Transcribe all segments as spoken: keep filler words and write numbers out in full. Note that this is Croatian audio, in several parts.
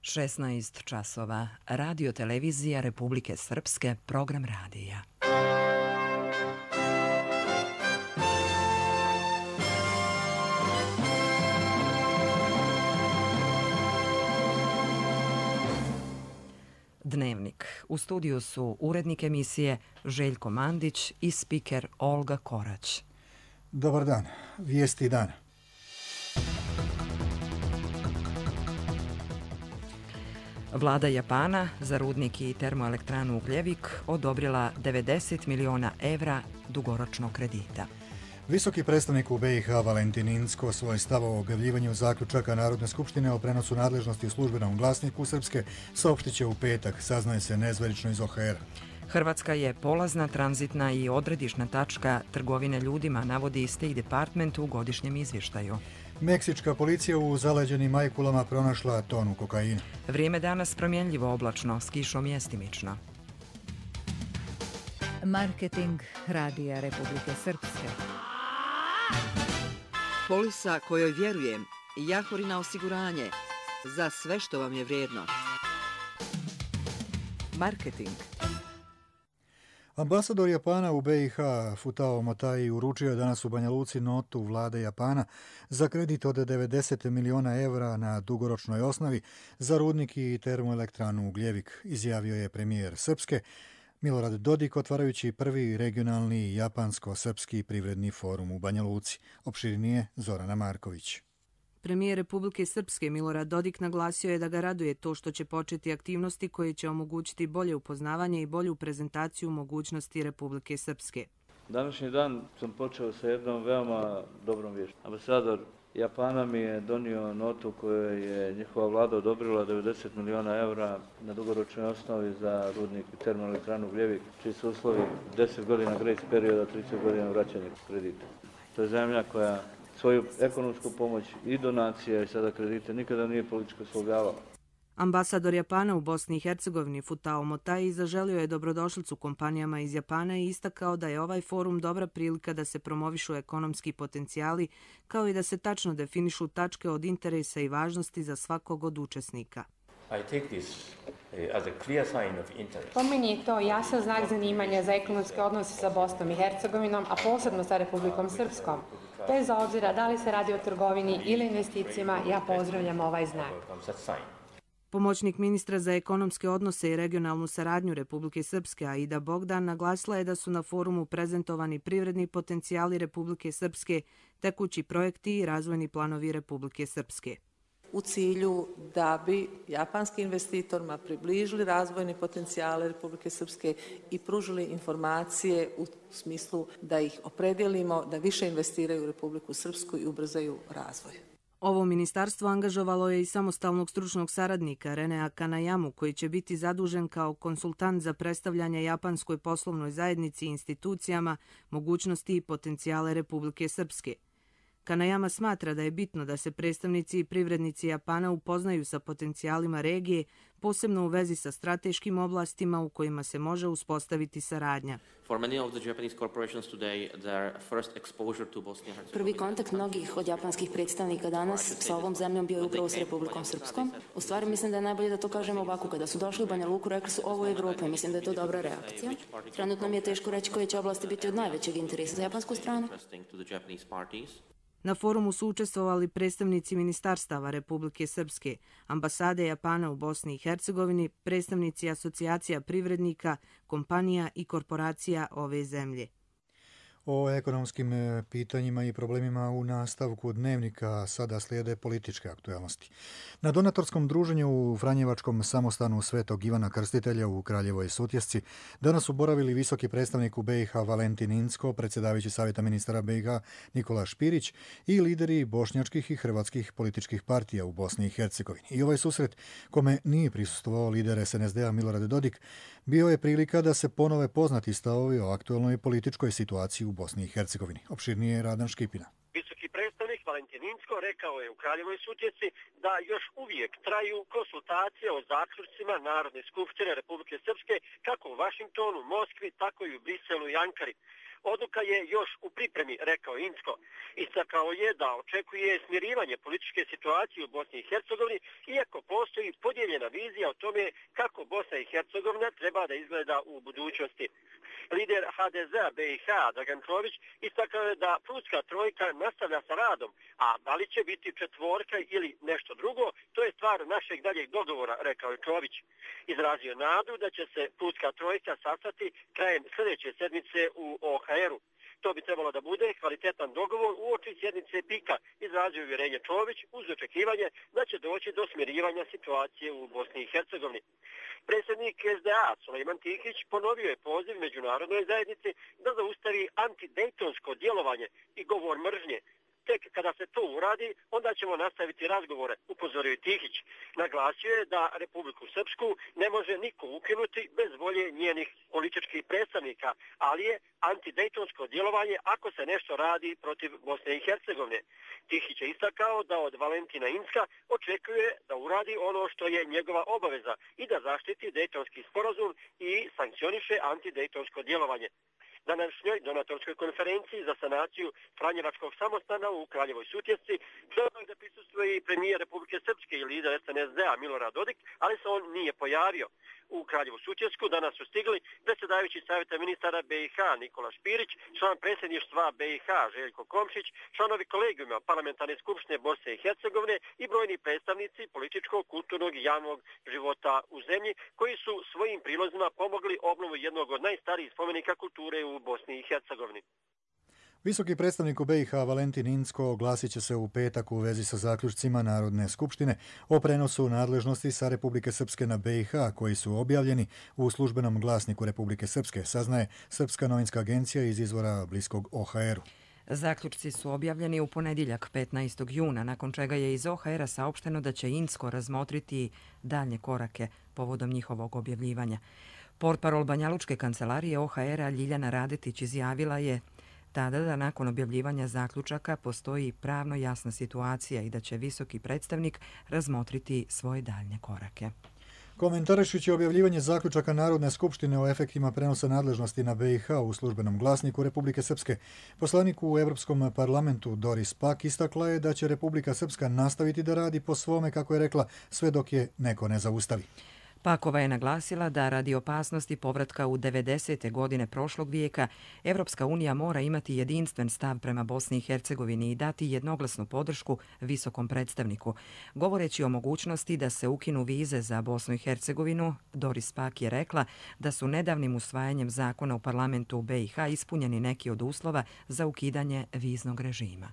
šesnaest časova. Radio televizija Republike Srpske, program radija. Dnevnik. U studiju su urednik emisije Željko Mandić i spiker Olga Korać. Dobar dan. Vijesti dana. Vlada Japana za rudnik i termoelektranu Ugljevik odobrila devedeset miliona evra dugoročnog kredita. Visoki predstavnik u B i H Valentin Incko svoj stav o objavljivanju zaključaka Narodne skupštine o prenosu nadležnosti u službenom glasniku Srpske saopštit će u petak, saznaje se nezvanično iz O H R. Hrvatska je polazna, tranzitna i odredišna tačka trgovine ljudima, navodi State Department u godišnjem izvještaju. Meksička policija u zaleđenim Majkulama pronašla tonu kokaina. Vrijeme danas promjenljivo oblačno, s kišom mjestimično. Marketing Radija Republike Srpske. Polisa kojoj vjerujem, Jahorina osiguranje, za sve što vam je vrijedno. Marketing. Ambasador Japana u B i H Futao Motai uručio je danas u Banja Luci notu vlade Japana za kredit od devedeset miliona evra na dugoročnoj osnovi za rudnik i termoelektranu Ugljevik, izjavio je premijer Srpske Milorad Dodik otvarajući prvi regionalni japansko-srpski privredni forum u Banja Luci. Opširnije Zorana Marković. Premijer Republike Srpske Milorad Dodik naglasio je da ga raduje to što će početi aktivnosti koje će omogućiti bolje upoznavanje i bolju prezentaciju mogućnosti Republike Srpske. Današnji dan sam počeo sa jednom veoma dobrom viješću. Ambasador Japana mi je donio notu koju je njihova vlada odobrila devedeset miliona evra na dugoročnoj osnovi za rudnik i termoelektranu Ugljevik, čiji su uslovi deset godina grace perioda, trideset godina vraćanja kredita. To je zemlja koja svoju ekonomsku pomoć i donacije i sada kredite nikada nije političko slogavala. Ambasador Japana u Bosni i Hercegovini Futao Motai zaželio je dobrodošlicu kompanijama iz Japana i istakao da je ovaj forum dobra prilika da se promovišu ekonomski potencijali, kao i da se tačno definišu tačke od interesa i važnosti za svakog od učesnika. Po meni je to jasan znak zanimanja za ekonomske odnose sa Bosnom i Hercegovinom, a posebno sa Republikom Srpskom. Bez obzira da li se radi o trgovini ili investicijama, ja pozdravljam ovaj znak. Pomoćnik ministra za ekonomske odnose i regionalnu saradnju Republike Srpske Aida Bogdan naglasila je da su na forumu prezentovani privredni potencijali Republike Srpske, tekući projekti i razvojni planovi Republike Srpske. U cilju da bi japanskim investitorima približili razvojne potencijale Republike Srpske i pružili informacije u smislu da ih opredjelimo, da više investiraju u Republiku Srpsku i ubrzaju razvoj. Ovo ministarstvo angažovalo je i samostalnog stručnog saradnika Renea Kanayamu, koji će biti zadužen kao konsultant za predstavljanje japanskoj poslovnoj zajednici i institucijama mogućnosti i potencijale Republike Srpske. Kanayama smatra da je bitno da se predstavnici i privrednici Japana upoznaju sa potencijalima regije, posebno u vezi sa strateškim oblastima u kojima se može uspostaviti saradnja. Prvi kontakt mnogih od japanskih predstavnika danas sa ovom zemljom bio je upravo s Republikom Srpskom. U stvari mislim da je najbolje da to kažemo ovako. Kada su došli u Banja Luku, rekli su ovo je Evropa i mislim da je to dobra reakcija. Trenutno mi je teško reći koje će oblasti biti od najvećeg interesa za japansku stranu. Na forumu su učestvovali predstavnici ministarstava Republike Srpske, ambasade Japana u Bosni i Hercegovini, predstavnici asocijacija privrednika, kompanija i korporacija ove zemlje. O ekonomskim pitanjima i problemima u nastavku dnevnika sada slijede političke aktualnosti. Na donatorskom druženju u Franjevačkom samostanu Svetog Ivana Krstitelja u Kraljevoj Sutjesci danas su boravili visoki predstavnik u B i H Valentin Incko, predsjedavajući Savjeta ministara B i H Nikola Špirić i lideri bošnjačkih i hrvatskih političkih partija u Bosni i Hercegovini. I ovaj susret, kome nije prisustvovao lider S N S D-a Milorad Dodik, bio je prilika da se ponove poznati stavovi o aktualnoj političkoj situaciji u Bosni i Hercegovini. Opširnije Radan Škipina. Visoki predstavnik Valentin Incko rekao je u Kraljevoj Sutjesci da još uvijek traju konsultacije o zaključcima Narodne skupštine Republike Srpske kako u Vašingtonu, Moskvi, tako i u Briselu i Ankari. Odluka je još u pripremi, rekao Incko. Istakao je da očekuje smirivanje političke situacije u Bosni i Hercegovini, iako postoji podijeljena vizija o tome kako Bosna i Hercegovina treba da izgleda u budućnosti. Lider ha de zea be i ha Dragan Čović istakao je da Prutska trojka nastavlja sa radom, a da li će biti četvorka ili nešto drugo, to je stvar našeg daljeg dogovora, rekao je Čović. Izrazio nadu da će se Prutska trojka sastati krajem sljedeće sedmice u o ha eru. To bi trebalo da bude kvalitetan dogovor uoči sjednice pika, izrazio uvjerenje Čović uz očekivanje da će doći do smirivanja situacije u Bosni i Hercegovini. Predsjednik es de a Sulejman Tihić ponovio je poziv međunarodnoj zajednici da zaustavi antidejtonsko djelovanje i govor mržnje. Tek kada se to uradi, onda ćemo nastaviti razgovore, upozorio je Tihić. Naglasio je da Republiku Srpsku ne može niko ukinuti bez volje njenih političkih predstavnika, ali je antidejtonsko djelovanje ako se nešto radi protiv Bosne i Hercegovine. Tihić je istakao da od Valentina Incka očekuje da uradi ono što je njegova obaveza i da zaštiti dejtonski sporazum i sankcioniše antidejtonsko djelovanje. Na današnjoj donatorskoj konferenciji za sanaciju Franjevačkog samostana u Kraljevoj Sutjesci trebao je da prisustvuje i premijer Republike Srpske i lider es en es de a Milorad Dodik, ali se on nije pojavio. U Kraljevu Sutjesku danas su stigli predsjedavajući savjeta ministara be i ha Nikola Špirić, član predsjedništva be i ha Željko Komšić, članovi kolegijuma Parlamentarne skupštine Bosne i Hercegovine i brojni predstavnici političkog, kulturnog i javnog života u zemlji koji su svojim prilozima pomogli obnovu jednog od najstarijih spomenika kulture u Bosni i Hercegovini. Visoki predstavnik u be i ha Valentin Incko oglasit će se u petak u vezi sa zaključcima Narodne skupštine o prenosu nadležnosti sa Republike Srpske na be i ha koji su objavljeni u službenom glasniku Republike Srpske, saznaje Srpska novinska agencija iz izvora bliskog o ha eru. Zaključci su objavljeni u ponedjeljak petnaestog juna, nakon čega je iz o ha era saopšteno da će Incko razmotriti daljnje korake povodom njihovog objavljivanja. Portparol Banjalučke kancelarije o ha era Ljiljana Radetić izjavila je tada da nakon objavljivanja zaključaka postoji pravno jasna situacija i da će visoki predstavnik razmotriti svoje daljnje korake. Komentarišući objavljivanje zaključaka Narodne skupštine o efektima prenosa nadležnosti na be i ha u službenom glasniku Republike Srpske, poslanik u Evropskom parlamentu Doris Pack istakla je da će Republika Srpska nastaviti da radi po svome, kako je rekla, sve dok je neko ne zaustavi. Pakova je naglasila da radi opasnosti povratka u devedesete godine prošlog vijeka, Evropska unija mora imati jedinstven stav prema Bosni i Hercegovini i dati jednoglasnu podršku visokom predstavniku. Govoreći o mogućnosti da se ukinu vize za Bosnu i Hercegovinu, Doris Pack je rekla da su nedavnim usvajanjem zakona u parlamentu u be i ha ispunjeni neki od uslova za ukidanje viznog režima.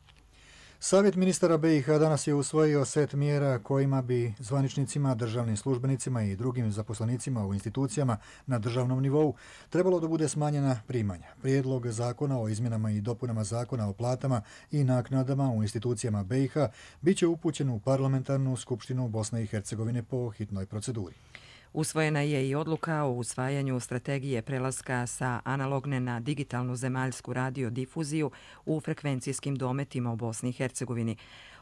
Savjet ministara be i ha danas je usvojio set mjera kojima bi zvaničnicima, državnim službenicima i drugim zaposlenicima u institucijama na državnom nivou trebalo da bude smanjena primanja. Prijedlog zakona o izmjenama i dopunama zakona o platama i naknadama u institucijama be i ha bit će upućen u parlamentarnu skupštinu Bosne i Hercegovine po hitnoj proceduri. Usvojena je i odluka o usvajanju strategije prelaska sa analogne na digitalnu zemaljsku radiodifuziju u frekvencijskim dometima u Bosni i Hercegovini.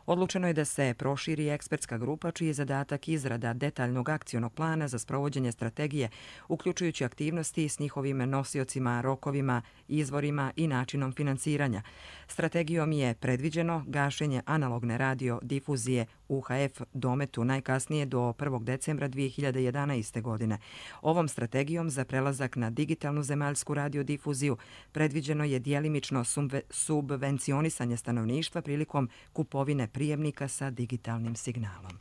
Odlučeno je da se proširi ekspertska grupa čiji je zadatak izrada detaljnog akcionog plana za sprovođenje strategije, uključujući aktivnosti s njihovim nosiocima, rokovima, izvorima i načinom finansiranja. Strategijom je predviđeno gašenje analogne radiodifuzije u ha ef dometu najkasnije do prvog decembra dvije hiljade jedanaeste. godine. Ovom strategijom za prelazak na digitalnu zemaljsku radiodifuziju predviđeno je djelimično subvencionisanje stanovništva prilikom kupovine prijemnika sa digitalnim signalom.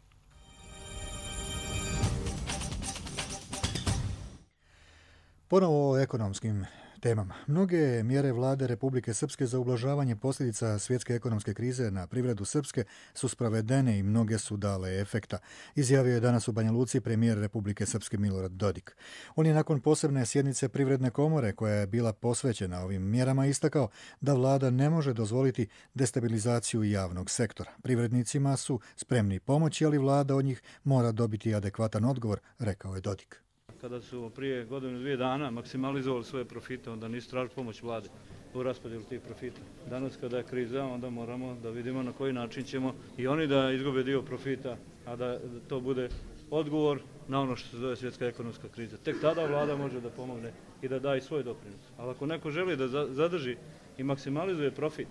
Ponovo o ekonomskim temama. Mnoge mjere vlade Republike Srpske za ublažavanje posljedica svjetske ekonomske krize na privredu Srpske su sprovedene i mnoge su dale efekta, izjavio je danas u Banja Luci premijer Republike Srpske Milorad Dodik. On je nakon posebne sjednice Privredne komore, koja je bila posvećena ovim mjerama, istakao da vlada ne može dozvoliti destabilizaciju javnog sektora. Privrednicima su spremni pomoći, ali vlada od njih mora dobiti adekvatan odgovor, rekao je Dodik. Kada su prije godinu dvije dana maksimalizovali svoje profite, onda nisu tražili pomoć vlade u raspodjelu tih profita. Danas kada je kriza, onda moramo da vidimo na koji način ćemo i oni da izgube dio profita, a da to bude odgovor na ono što se zove svjetska ekonomska kriza. Tek tada vlada može da pomogne i da da i svoj doprinos. Ali ako neko želi da zadrži i maksimalizuje profit,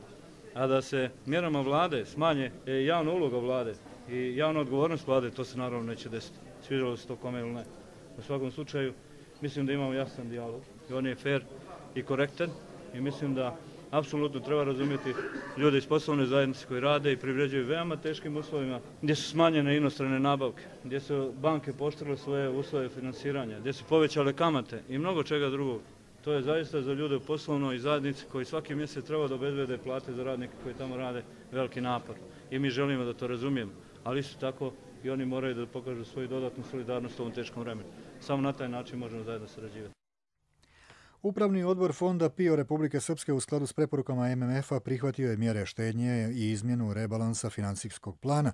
a da se mjerama vlade smanje javna uloga vlade i javna odgovornost vlade, to se naravno neće desiti. Sviđalo se to kome ili ne. U svakom slučaju, mislim da imamo jasan dijalog i on je fair i korektan i mislim da apsolutno treba razumjeti ljude iz poslovne zajednice koji rade i privređuju veoma teškim uslovima, gdje su smanjene inostrane nabavke, gdje su banke pooštrile svoje uslove financiranja, gdje su povećale kamate i mnogo čega drugog. To je zaista za ljude u poslovnoj zajednici koji svaki mjesec treba da obezbede plate za radnike koji tamo rade veliki napor. I mi želimo da to razumijemo, ali isto tako i oni moraju da pokažu svoju dodatnu solidarnost u ovom teškom vremenu. Samo na taj način možemo zajedno sarađivati. Upravni odbor Fonda PIO Republike Srpske u skladu s preporukama M M F-a prihvatio je mjere štednje i izmjenu rebalansa financijskog plana,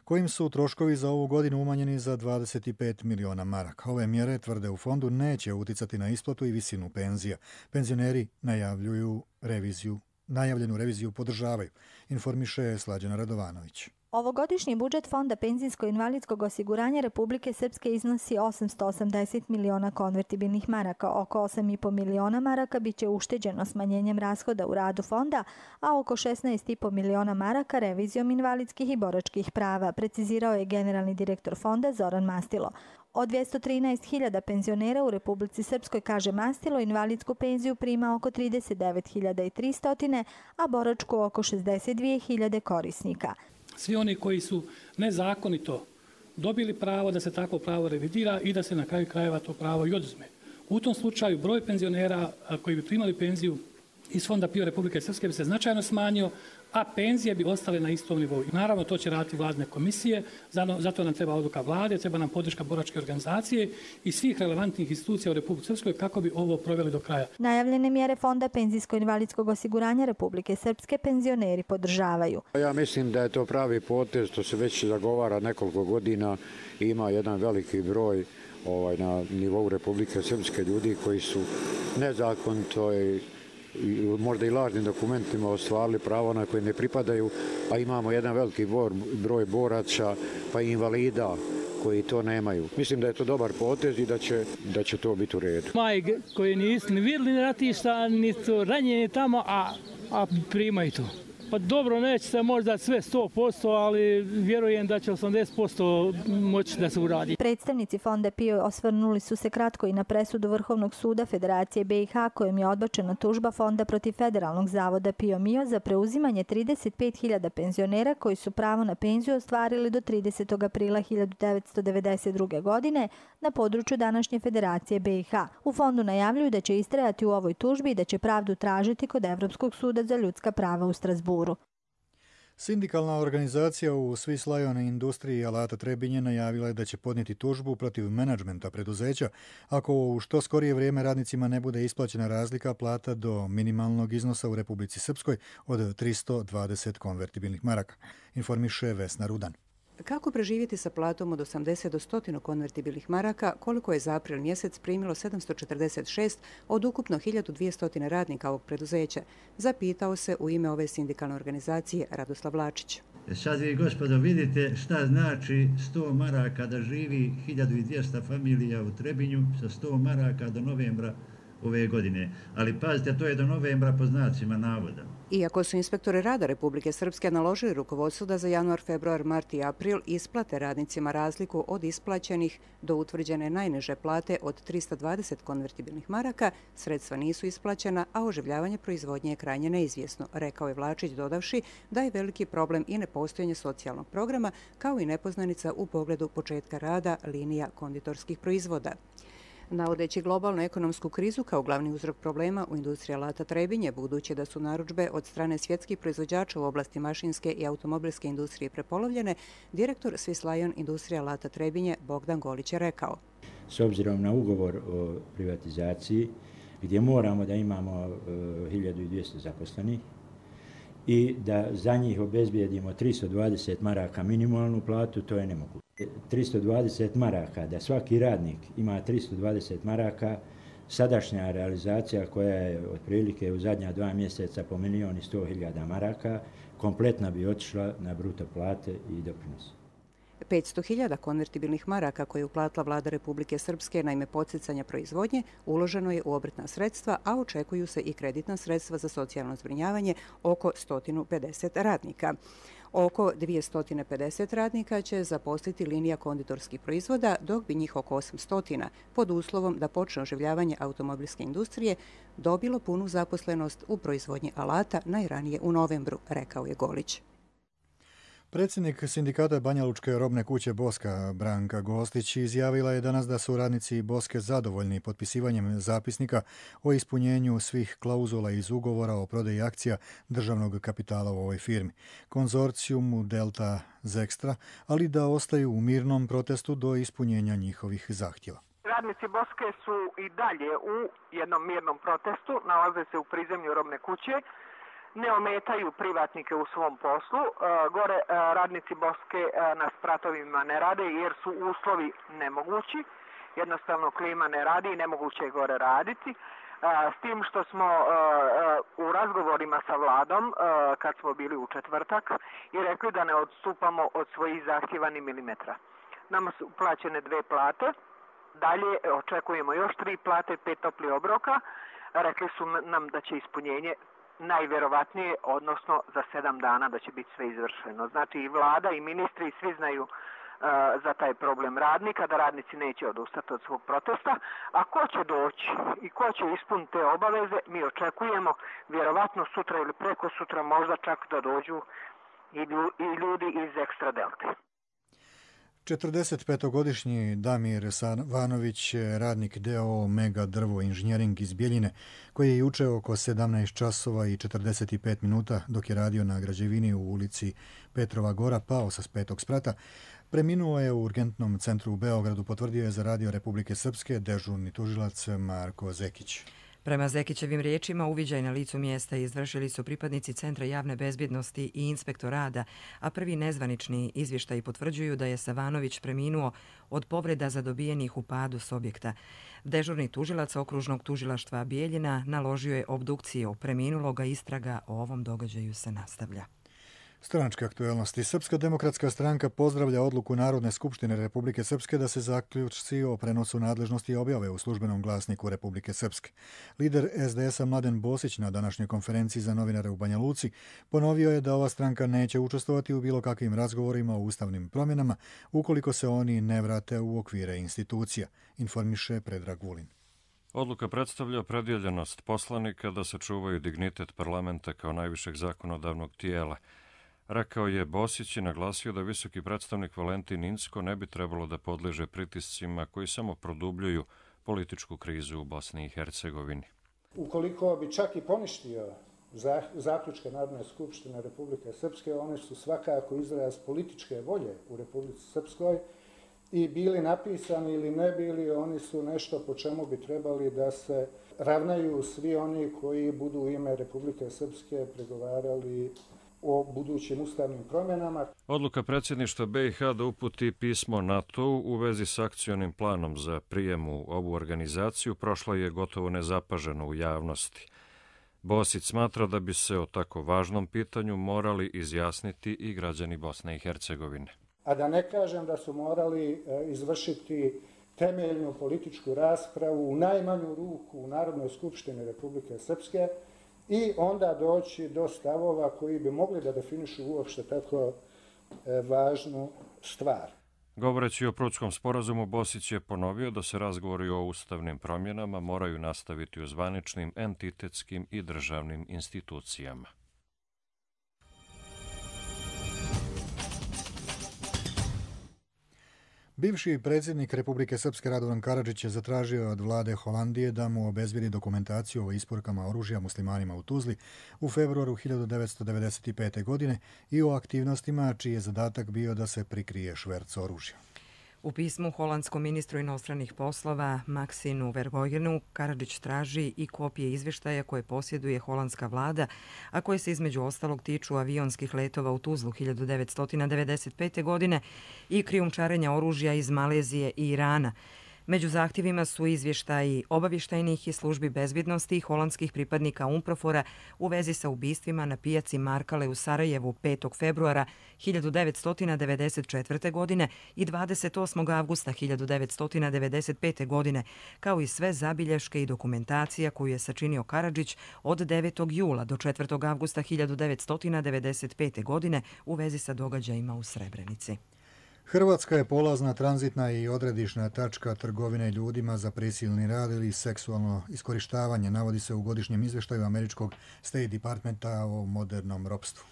kojim su troškovi za ovu godinu umanjeni za dvadeset pet miliona maraka. Ove mjere, tvrde u fondu, neće uticati na isplatu i visinu penzija. Penzioneri najavljuju reviziju, najavljenu reviziju podržavaju, informiše Slađana Radovanović. Ovogodišnji budžet Fonda penzijsko-invalidskog osiguranja Republike Srpske iznosi osamsto osamdeset miliona konvertibilnih maraka. Oko osam i po miliona maraka biće ušteđeno smanjenjem rashoda u radu fonda, a oko šesnaest i po miliona maraka revizijom invalidskih i boračkih prava, precizirao je generalni direktor fonda Zoran Mastilo. Od dvjesto trinaest hiljada penzionera u Republici Srpskoj, kaže Mastilo, invalidsku penziju prima oko trideset devet hiljada tristo, a boračku oko šezdeset dvije hiljade korisnika. Svi oni koji su nezakonito dobili pravo da se takvo pravo revidira i da se na kraju krajeva to pravo i oduzme. U tom slučaju broj penzionera koji bi primali penziju iz Fonda PIO Republike Srpske bi se značajno smanjio, a penzije bi ostale na istom nivou. Naravno, to će raditi vladne komisije, zato nam treba odluka vlade, treba nam podrška boračke organizacije i svih relevantnih institucija u Republici Srpskoj kako bi ovo proveli do kraja. Najavljene mjere Fonda penzijsko-invalidskog osiguranja Republike Srpske penzioneri podržavaju. Ja mislim da je to pravi potez, to se već zagovara nekoliko godina i ima jedan veliki broj ovaj, na nivou Republike Srpske ljudi koji su nezakonito i možda i lažnim dokumentima ostvarili pravo na koje ne pripadaju, a imamo jedan veliki broj boraca pa i invalida koji to nemaju. Mislim da je to dobar potez i da će, da će to biti u redu. Maj koji nisu ni vidjeli ratišta, nisu ranjeni tamo, a, a primaju to. Pa dobro, neće se možda sve sto posto, ali vjerujem da će osamdeset posto moći da se uradi. Predstavnici Fonda PIO osvrnuli su se kratko i na presudu Vrhovnog suda Federacije B i H kojom je odbačena tužba Fonda protiv Federalnog zavoda PIO MIO za preuzimanje trideset pet hiljada penzionera koji su pravo na penziju ostvarili do tridesetog aprila hiljadu devetsto devedeset druge. godine na području današnje Federacije B i H. U fondu najavljuju da će istrajati u ovoj tužbi i da će pravdu tražiti kod Evropskog suda za ljudska prava u Strasburu. Sindikalna organizacija u Swiss Lion industriji alata Trebinje najavila je da će podnijeti tužbu protiv menadžmenta preduzeća ako u što skorije vrijeme radnicima ne bude isplaćena razlika plata do minimalnog iznosa u Republici Srpskoj od tristo dvadeset konvertibilnih maraka, informiše Vesna Rudan. Kako preživjeti sa platom od osamdeset do sto konvertibilnih maraka, koliko je za april mjesec primilo sedamsto četrdeset šest od ukupno hiljadu dvjesto radnika ovog preduzeća, zapitao se u ime ove sindikalne organizacije Radoslav Lačić. Sad vi, gospodo, vidite šta znači sto maraka da živi hiljadu dvjesto familija u Trebinju sa sto maraka do novembra ove godine. Ali pazite, to je do novembra po znacima navoda. Iako su inspektori rada Republike Srpske naložili rukovodstvu da za januar, februar, mart i april isplate radnicima razliku od isplaćenih do utvrđene najniže plate od tristo dvadeset konvertibilnih maraka, sredstva nisu isplaćena, a oživljavanje proizvodnje je krajnje neizvjesno, rekao je Vlačić, dodavši da je veliki problem i nepostojanje socijalnog programa, kao i nepoznanica u pogledu početka rada linija konditorskih proizvoda. Navodeći globalnu ekonomsku krizu kao glavni uzrok problema u industriji alata Trebinje, budući da su narudžbe od strane svjetskih proizvođača u oblasti mašinske i automobilske industrije prepolovljene, direktor Swiss Lion industrije alata Trebinje Bogdan Golić je rekao. S obzirom na ugovor o privatizaciji, gdje moramo da imamo hiljadu dvjesto zaposlenih i da za njih obezbijedimo tristo dvadeset maraka minimalnu platu, to je nemoguće. tristo dvadeset maraka, da svaki radnik ima tristo dvadeset maraka, sadašnja realizacija koja je otprilike u zadnja dva mjeseca po milijun i sto hiljada maraka, kompletna bi otišla na bruto plate i doprinose. petsto hiljada konvertibilnih maraka koje je uplatila vlada Republike Srpske na ime podsticanja proizvodnje uloženo je u obrtna sredstva, a očekuju se i kreditna sredstva za socijalno zbrinjavanje oko sto pedeset radnika. Oko dvjesto pedeset radnika će zaposliti linija konditorskih proizvoda, dok bi njih oko osamsto pod uslovom da počne oživljavanje automobilske industrije dobilo punu zaposlenost u proizvodnji alata najranije u novembru, rekao je Golić. Predsjednik sindikata Banja Lučke robne kuće Boska, Branka Gostić, izjavila je danas da su radnici Boske zadovoljni potpisivanjem zapisnika o ispunjenju svih klauzula iz ugovora o prodaji akcija državnog kapitala u ovoj firmi, konzorcijumu Delta Zekstra, ali da ostaju u mirnom protestu do ispunjenja njihovih zahtjeva. Radnici Boske su i dalje u jednom mirnom protestu, nalaze se u prizemlju robne kuće, ne ometaju privatnike u svom poslu. Gore radnici Boske na spratovima ne rade jer su uslovi nemogući. Jednostavno klima ne radi i nemoguće je gore raditi. S tim što smo u razgovorima sa vladom, kad smo bili u četvrtak, i rekli da ne odstupamo od svojih zahtjeva ni milimetra. Nama su plaćene dve plate. Dalje očekujemo još tri plate, pet topli obroka. Rekli su nam da će ispunjenje najvjerovatnije, odnosno za sedam dana da će biti sve izvršeno. Znači i vlada i ministri i svi znaju uh, za taj problem radnika, da radnici neće odustati od svog protesta. A ko će doći i ko će ispuniti te obaveze, mi očekujemo vjerovatno sutra ili preko sutra možda čak da dođu i ljudi iz Ekstra Delte. četrdesetpetogodišnji Damir Savanović, radnik D O O Mega Drvo Inženjering iz Bjeljine, koji je juče oko sedamnaest časova i četrdeset pet minuta dok je radio na građevini u ulici Petrova Gora pao sa petog sprata, preminuo je u urgentnom centru u Beogradu, potvrdio je za Radio Republike Srpske dežurni tužilac Marko Zekić. Prema Zekićevim riječima, uviđaj na licu mjesta izvršili su pripadnici Centra javne bezbjednosti i inspektor rada, a prvi nezvanični izvještaji potvrđuju da je Savanović preminuo od povreda zadobijenih u padu s objekta. Dežurni tužilac okružnog tužilaštva Bijeljina naložio je obdukciju preminuloga, istraga o ovom događaju se nastavlja. Stranačke aktuelnosti. Srpska demokratska stranka pozdravlja odluku Narodne skupštine Republike Srpske da se zaključci o prenosu nadležnosti objave u službenom glasniku Republike Srpske. Lider S D S-a Mladen Bosić na današnjoj konferenciji za novinare u Banja Luci ponovio je da ova stranka neće učestvovati u bilo kakvim razgovorima o ustavnim promjenama ukoliko se oni ne vrate u okvire institucija, informiše Predrag Vulin. Odluka predstavlja opredjeljenost poslanika da sačuvaju dignitet parlamenta kao najvišeg zakonodavnog tijela. Rekao je Bosić i naglasio da visoki predstavnik Valentin Incko ne bi trebalo da podliježe pritiscima koji samo produbljuju političku krizu u Bosni i Hercegovini. Ukoliko bi čak i poništio zaključke Narodne skupštine Republike Srpske, one su svakako izraz političke volje u Republici Srpskoj i bili napisani ili ne bili, oni su nešto po čemu bi trebali da se ravnaju svi oni koji budu u ime Republike Srpske pregovarali o budućim ustavnim promjenama. Odluka predsjedništva B i H da uputi pismo NATO-u u vezi s akcionim planom za prijem u ovu organizaciju prošla je gotovo nezapaženo u javnosti. Bosić smatra da bi se o tako važnom pitanju morali izjasniti i građani Bosne i Hercegovine. A da ne kažem da su morali izvršiti temeljnu političku raspravu u najmanju ruku u Narodnoj skupštini Republike Srpske i onda doći do stavova koji bi mogli da definišu uopšte tako važnu stvar. Govoreći o Prutskom sporazumu, Bosić je ponovio da se razgovori o ustavnim promjenama moraju nastaviti u zvaničnim, entitetskim i državnim institucijama. Bivši predsjednik Republike Srpske Radovan Karadžić je zatražio od vlade Holandije da mu obezbijedi dokumentaciju o isporukama oružja muslimanima u Tuzli u februaru hiljadu devetsto devedeset pete. godine i o aktivnostima čiji je zadatak bio da se prikrije šverc oružja. U pismu holandskom ministru inostranih poslova Maksinu Verhojgenu Karadžić traži i kopije izvještaja koje posjeduje holandska vlada, a koje se između ostalog tiču avionskih letova u Tuzlu hiljadu devetsto devedeset pete. godine i krijumčarenja oružja iz Malezije i Irana. Među zahtjevima su izvještaji obavještajnih i službi bezbjednosti holandskih pripadnika Umprofora u vezi sa ubistvima na pijaci Markale u Sarajevu petog februara hiljadu devetsto devedeset četvrte. godine i dvadeset osmog avgusta hiljadu devetsto devedeset pete. godine, kao i sve zabilješke i dokumentacija koju je sačinio Karadžić od devetog jula do četvrtog avgusta hiljadu devetsto devedeset pete. godine u vezi sa događajima u Srebrenici. Hrvatska je polazna, tranzitna i odredišna tačka trgovine ljudima za prisilni rad ili seksualno iskorištavanje, navodi se u godišnjem izvještaju američkog State Departmenta o modernom ropstvu.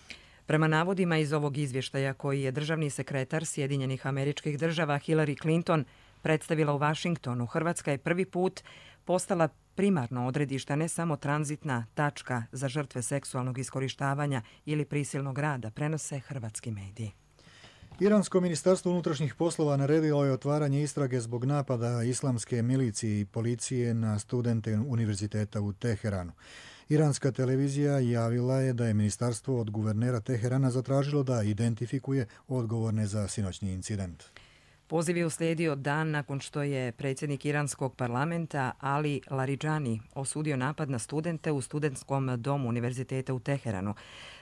Prema navodima iz ovog izvještaja koji je državni sekretar Sjedinjenih Američkih Država Hillary Clinton predstavila u Vašingtonu, Hrvatska je prvi put postala primarno odredište, ne samo tranzitna tačka za žrtve seksualnog iskorištavanja ili prisilnog rada, prenose hrvatski mediji. Iransko ministarstvo unutrašnjih poslova naredilo je otvaranje istrage zbog napada islamske milicije i policije na studente univerziteta u Teheranu. Iranska televizija javila je da je ministarstvo od guvernera Teherana zatražilo da identifikuje odgovorne za sinoćni incident. Poziv je uslijedio dan nakon što je predsjednik iranskog parlamenta Ali Larijani osudio napad na studente u studentskom domu univerziteta u Teheranu.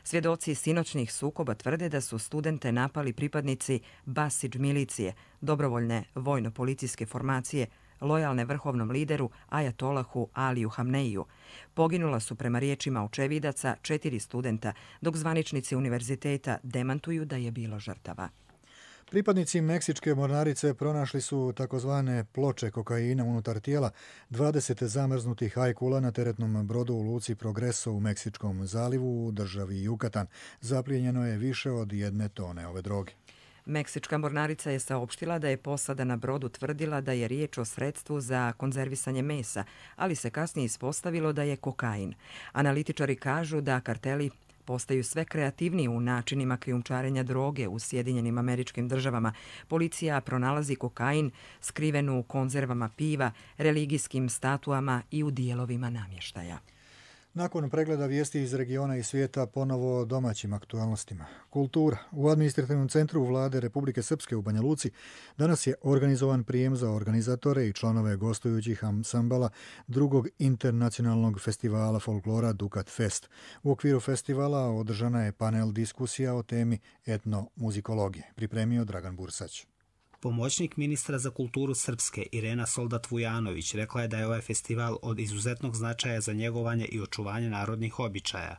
Svjedoci sinoćnih sukoba tvrde da su studente napali pripadnici Basidž milicije, dobrovoljne vojno-policijske formacije, lojalne vrhovnom lideru Ajatolahu Aliju Hamneiju. Poginula su prema riječima očevidaca četiri studenta, dok zvaničnici univerziteta demantuju da je bilo žrtava. Pripadnici meksičke mornarice pronašli su takozvane ploče kokaina unutar tijela dvadeset zamrznutih ajkula na teretnom brodu u luci Progreso u Meksičkom zalivu u državi Jukatan. Zaplijenjeno je više od jedne tone ove droge. Meksička mornarica je saopštila da je posada na brodu tvrdila da je riječ o sredstvu za konzervisanje mesa, ali se kasnije ispostavilo da je kokain. Analitičari kažu da karteli postaju sve kreativniji u načinima krijumčarenja droge u Sjedinjenim Američkim Državama. Policija pronalazi kokain skriven u konzervama piva, religijskim statuama i u dijelovima namještaja. Nakon pregleda vijesti iz regiona i svijeta, ponovo o domaćim aktualnostima. Kultura. U administrativnom centru vlade Republike Srpske u Banja Luci danas je organizovan prijem za organizatore i članove gostujućih ansambala drugog internacionalnog festivala folklora Dukat Fest. U okviru festivala održana je panel diskusija o temi etnomuzikologije. Pripremio Dragan Bursać. Pomoćnik ministra za kulturu Srpske Irena Soldat-Vujanović rekla je da je ovaj festival od izuzetnog značaja za njegovanje i očuvanje narodnih običaja.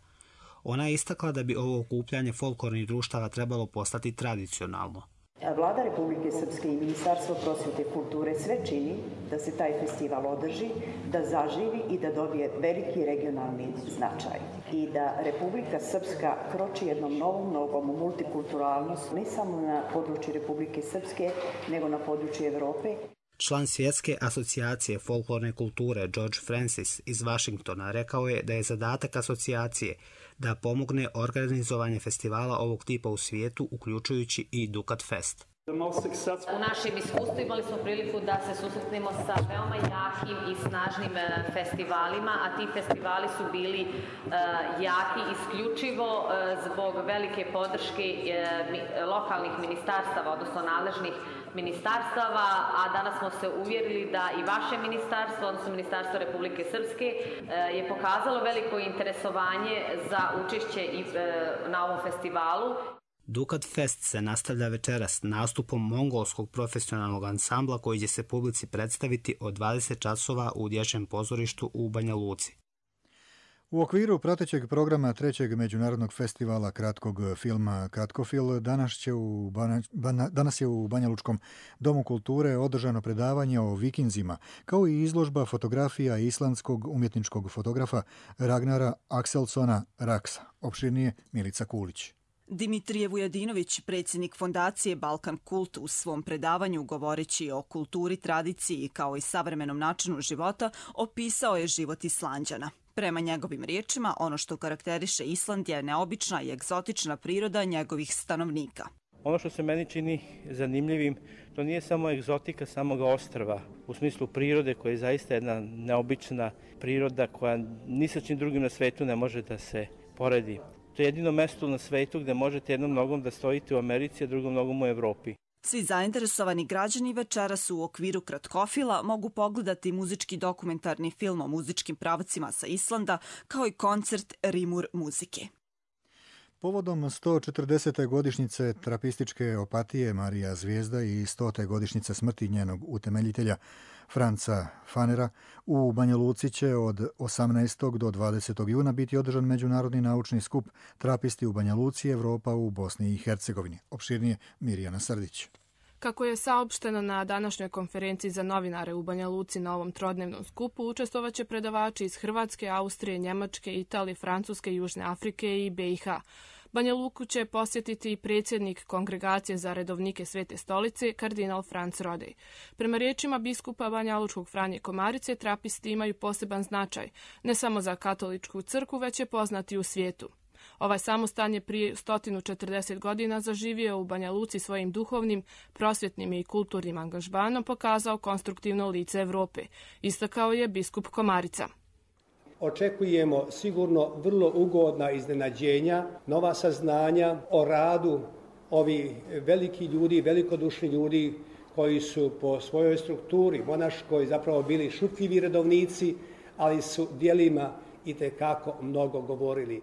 Ona je istakla da bi ovo okupljanje folklornih društava trebalo postati tradicionalno. Vlada Republike Srpske i Ministarstvo prosvjete i kulture sve čini da se taj festival održi, da zaživi i da dobije veliki regionalni značaj. I da Republika Srpska kroči jednom novom nogom u multikulturalnost, ne samo na području Republike Srpske, nego na području Evrope. Član Svjetske asocijacije folklorne kulture George Francis iz Vašingtona rekao je da je zadatak asocijacije da pomogne organizovanje festivala ovog tipa u svijetu, uključujući i Dukat Fest. U našem iskustvu imali smo priliku da se susretnemo sa veoma jakim i snažnim festivalima, a ti festivali su bili jaki isključivo zbog velike podrške lokalnih ministarstava, odnosno nadležnih ministarstava, a danas smo se uvjerili da i vaše ministarstvo, odnosno Ministarstvo Republike Srpske, je pokazalo veliko interesovanje za učešće na ovom festivalu. Dukat Fest se nastavlja večeras nastupom mongolskog profesionalnog ansambla koji će se publici predstaviti od dvadeset časova u dječjem pozorištu u Banja Luci. U okviru pratećeg programa trećeg međunarodnog festivala kratkog filma Kratkofil danas, će u Bana, Bana, danas je u Banja Lučkom domu kulture održano predavanje o vikinzima, kao i izložba fotografija islandskog umjetničkog fotografa Ragnara Akselsona Raksa. Opširnije Milica Kulić. Dimitrije Vujadinović, predsjednik fondacije Balkan Kult, u svom predavanju govoreći o kulturi, tradiciji kao i savremenom načinu života, opisao je život Islanđana. Prema njegovim riječima, ono što karakteriše Island je neobična i egzotična priroda njegovih stanovnika. Ono što se meni čini zanimljivim, to nije samo egzotika samoga ostrva, u smislu prirode koja je zaista jedna neobična priroda koja ni sa čim drugim na svetu ne može da se poredi. To je jedino mesto na svetu gdje možete jednom nogom da stojite u Americi, a drugom nogom u Evropi. Svi zainteresovani građani večeras u okviru kratkofila mogu pogledati muzički dokumentarni film o muzičkim pravcima sa Islanda, kao i koncert Rimur muzike. Povodom sto četrdesete godišnjice trapističke opatije Marija Zvijezda i stote godišnjice smrti njenog utemeljitelja Franca Fanera, u Banja Luci će od osamnaestog do dvadesetog juna biti održan međunarodni naučni skup Trapisti u Banja Luci, Evropa u Bosni i Hercegovini. Opširnije Mirjana Srdić. Kako je saopšteno na današnjoj konferenciji za novinare u Banja Luci na ovom trodnevnom skupu, učestvovaće predavači iz Hrvatske, Austrije, Njemačke, Italije, Francuske, Južne Afrike i be i ha. Banja Luku će posjetiti i predsjednik Kongregacije za redovnike Svete stolice, kardinal Franc Rodej. Prema riječima biskupa banjalučkog Franje Komarice, trapisti imaju poseban značaj, ne samo za katoličku crkvu, već je poznati u svijetu. Ovaj samostan je prije sto četrdeset godina zaživio u Banja Luci svojim duhovnim, prosvjetnim i kulturnim angažmanom pokazao konstruktivno lice Evrope, istakao je biskup Komarica. Očekujemo sigurno vrlo ugodna iznenađenja, nova saznanja o radu ovih velikih ljudi, velikodušni ljudi koji su po svojoj strukturi monaškoj zapravo bili šutljivi redovnici, ali su djelima itekako mnogo govorili.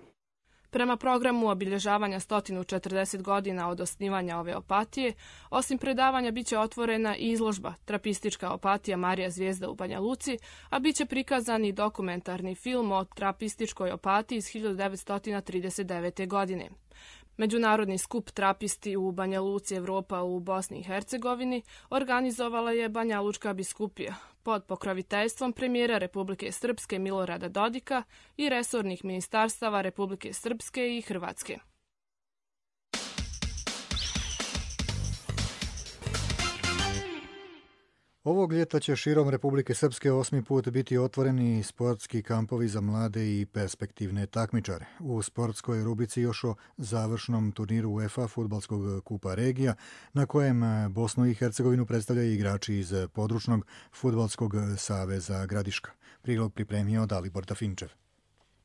Prema programu obilježavanja sto četrdeset godina od osnivanja ove opatije, osim predavanja biće otvorena i izložba Trapistička opatija Marija Zvijezda u Banja Luci, a biće prikazan i dokumentarni film o trapističkoj opatiji iz hiljadu devetsto trideset devete. godine. Međunarodni skup Trapisti u Banja Luci, Evropa u Bosni i Hercegovini organizovala je Banja Lučka biskupija pod pokroviteljstvom premijera Republike Srpske Milorada Dodika i resornih ministarstava Republike Srpske i Hrvatske. Ovog ljeta će širom Republike Srpske osmi put biti otvoreni sportski kampovi za mlade i perspektivne takmičare. U sportskoj rubrici još o završnom turniru UEFA fudbalskog kupa regija, na kojem Bosnu i Hercegovinu predstavljaju igrači iz područnog fudbalskog saveza Gradiška. Prilog pripremio Dalibor Tafinčev.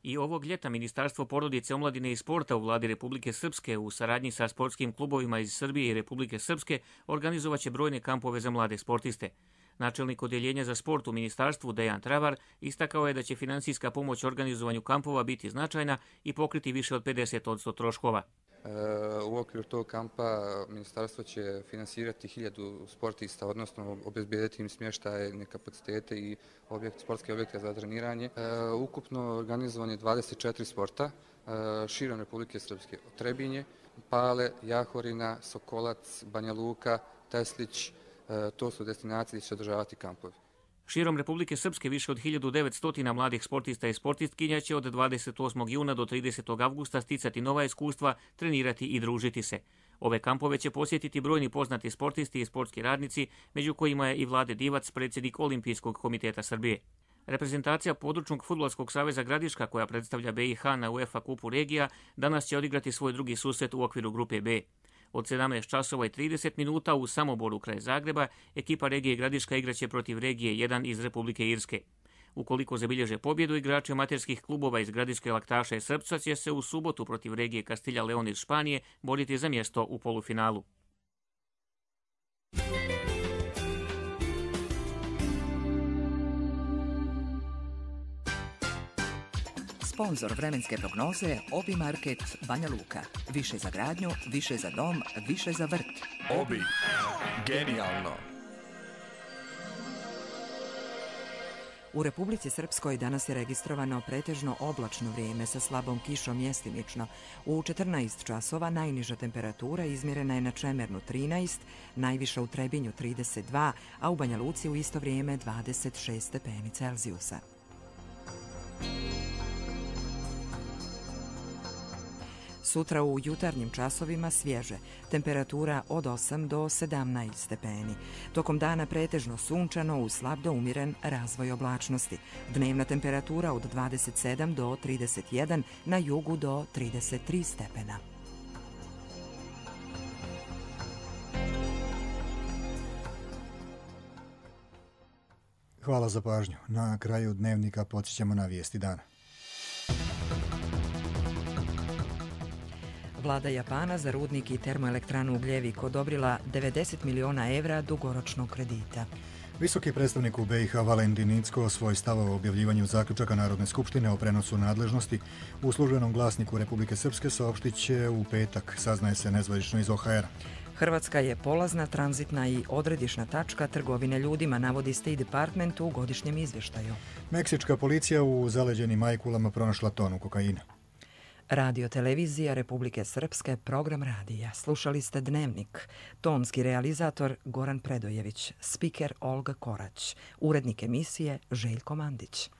I ovog ljeta Ministarstvo porodice, omladine i sporta u vladi Republike Srpske u saradnji sa sportskim klubovima iz Srbije i Republike Srpske organizovaće brojne kampove za mlade sportiste. Načelnik odjeljenja za sport u ministarstvu Dejan Travar istakao je da će finansijska pomoć organizovanju kampova biti značajna i pokriti više od pedeset posto troškova. U okviru tog kampa ministarstvo će finansirati hiljadu sportista, odnosno obezbijediti im smještajne kapacitete i objekt, sportske objekte za treniranje. Ukupno organizovan je dvadeset četiri sporta širom Republike Srpske. Trebinje, Pale, Jahorina, Sokolac, Banja Luka, Teslić, to su destinacije gdje će održavati kampovi. Širom Republike Srpske više od hiljadu devetsto mladih sportista i sportistkinja će od dvadeset osmog juna do tridesetog avgusta sticati nova iskustva, trenirati i družiti se. Ove kampove će posjetiti brojni poznati sportisti i sportski radnici, među kojima je i Vlade Divac, predsjednik Olimpijskog komiteta Srbije. Reprezentacija područnog fudbalskog saveza Gradiška, koja predstavlja be i ha na UEFA kupu regija, danas će odigrati svoj drugi susret u okviru grupe B. Od sedamnaest časova i trideset minuta u Samoboru kraj Zagreba ekipa regije Gradiška igraće protiv regije jedan iz Republike Irske. Ukoliko zabilježe pobjedu, igrači amaterskih klubova iz Gradiške Laktaša i Srpca će se u subotu protiv regije Kastilja Leon iz Španije boriti za mjesto u polufinalu. Sponzor vremenske prognoze Obi Market Banja Luka. Više za gradnju, više za dom, više za vrt. Obi. Genijalno. U Republici Srpskoj danas je registrovano pretežno oblačno vrijeme sa slabom kišom mjestimično. U četrnaest časova najniža temperatura izmjerena je na Čemernu trinaest, najviša u Trebinju trideset dva, a u Banja Luci u isto vrijeme dvadeset šest stepeni Celzijusa. Sutra u jutarnjim časovima svježe, temperatura od osam do sedamnaest stepeni. Tokom dana pretežno sunčano uz slab do umjeren razvoj oblačnosti. Dnevna temperatura od dvadeset sedam do trideset jedan, na jugu do trideset tri stepena. Hvala za pažnju. Na kraju dnevnika podsjećamo na vijesti dana. Vlada Japana za rudnik i termoelektranu Ugljevik odobrila devedeset miliona evra dugoročnog kredita. Visoki predstavnik u B i H Valentin Incko svoj stav o objavljivanju zaključaka Narodne skupštine o prenosu nadležnosti u službenom glasniku Republike Srpske saopštit će u petak, saznaje se nezvanično iz O H R-a. Hrvatska je polazna, tranzitna i odredišna tačka trgovine ljudima, navodi State Department u godišnjem izvještaju. Meksička policija u zaleđenim Majkulama pronašla tonu kokaina. Radio televizija Republike Srpske, program radija. Slušali ste Dnevnik. Tonski realizator Goran Predojević, spiker Olga Korać, urednik emisije Željko Mandić.